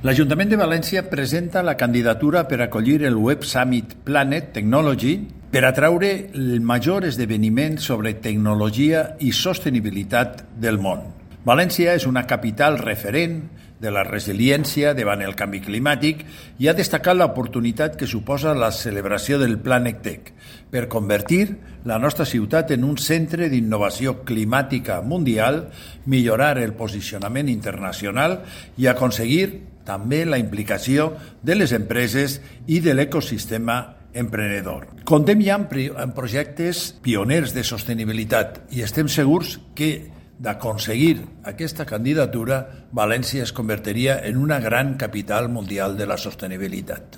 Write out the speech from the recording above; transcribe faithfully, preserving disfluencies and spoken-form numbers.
L'Ajuntament de València presenta la candidatura per acollir el Web Summit Planet Technology per atraure el major esdeveniment sobre tecnologia i sostenibilitat del món. València és una capital referent de la resiliència davant el canvi climàtic i ha destacat l'oportunitat que suposa la celebració del Planet Tech per convertir la nostra ciutat en un centre d'innovació climàtica mundial, millorar el posicionament internacional i aconseguir també la implicació de les empreses i de l'ecosistema emprenedor. Contem ja amb projectes pioners de sostenibilitat i estem segurs que d'aconseguir aquesta candidatura, València es convertiria en una gran capital mundial de la sostenibilitat.